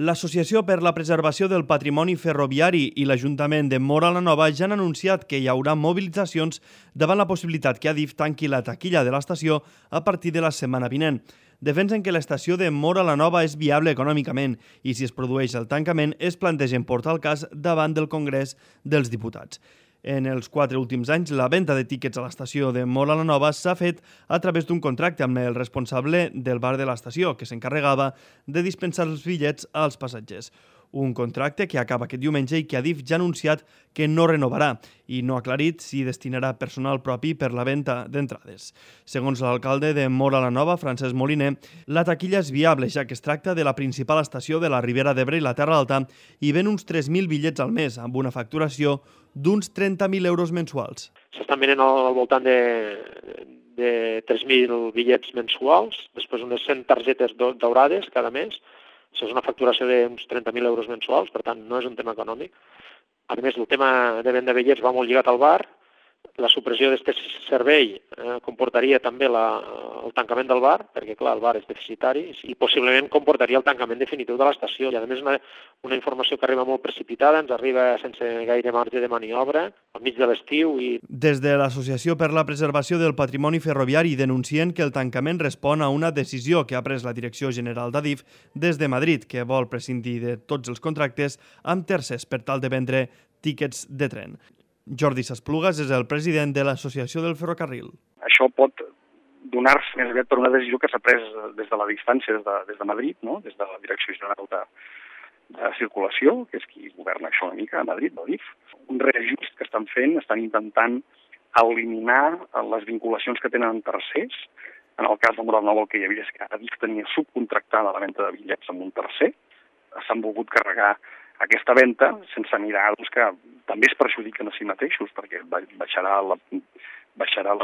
L'Associació per la Preservació del Patrimoni Ferroviari i l'Ajuntament de Móra la Nova ja han anunciat que hi haurà mobilitzacions davant la possibilitat que Adif tanqui la taquilla de l'estació a partir de la setmana vinent. Defensen que l'estació de Móra la Nova és viable econòmicament i si es produeix el tancament es plantegen portar el cas davant del Congrés dels Diputats. En els 4 últims anys, la venda de tíquets a l'estació de Móra la Nova s'ha fet a través d'un contracte amb el responsable del bar de l'estació, que s'encarregava de dispensar els bitllets als passatgers. Un contracte que acaba aquest diumenge i que Adif ja ha anunciat que no renovarà i no ha aclarit si destinarà personal propi per la venda d'entrades. Segons l'alcalde de Móra la Nova, Francesc Moliner, la taquilla és viable, ja que es tracta de la principal estació de la Ribera d'Ebre i la Terra Alta i ven uns 3.000 bitllets al mes, amb una facturació d'uns 30.000 euros mensuals. S'estan venent al voltant de 3.000 bitllets mensuals, després unes 100 targetes daurades cada mes. Això és una facturació d'uns 30.000 euros mensuals, per tant, no és un tema econòmic. A més, el tema de venda de bitllets va molt lligat al bar. La supressió d'aquest servei comportaria també el tancament del bar, perquè, clar, el bar és deficitari, i possiblement comportaria el tancament definitiu de l'estació. I, a més, una informació que arriba molt precipitada, ens arriba sense gaire marge de maniobra, al mig de l'estiu. Des de l'Associació per la Preservació del Patrimoni Ferroviari denuncien que el tancament respon a una decisió que ha pres la Direcció General d'Adif des de Madrid, que vol prescindir de tots els contractes amb tercers per tal de vendre tíquets de tren. Jordi Sasplugas és el president de l'Associació del Ferrocarril. Això pot donar-se més aviat per una decisió que s'ha pres des de la distància, des de Madrid, no? Des de la Direcció General de Circulació, que és qui governa això una mica a Madrid, l'Adif. Un reajust que estan fent, estan intentant eliminar les vinculacions que tenen amb tercers. En el cas de Móra la Nova el que hi havia és que Adif tenia subcontractada la venda de bitllets amb un tercer. S'han volgut carregar aquesta venda sense mirar que també es perjudiquen a si mateixos perquè baixarà la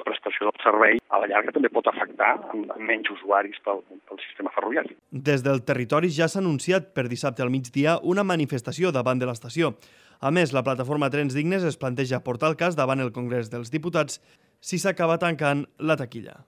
prestació del servei. A la llarga també pot afectar amb menys usuaris pel sistema ferroviari. Des del territori ja s'ha anunciat per dissabte al migdia una manifestació davant de l'estació. A més, la plataforma Trens Dignes es planteja portar el cas davant el Congrés dels Diputats si s'acaba tancant la taquilla.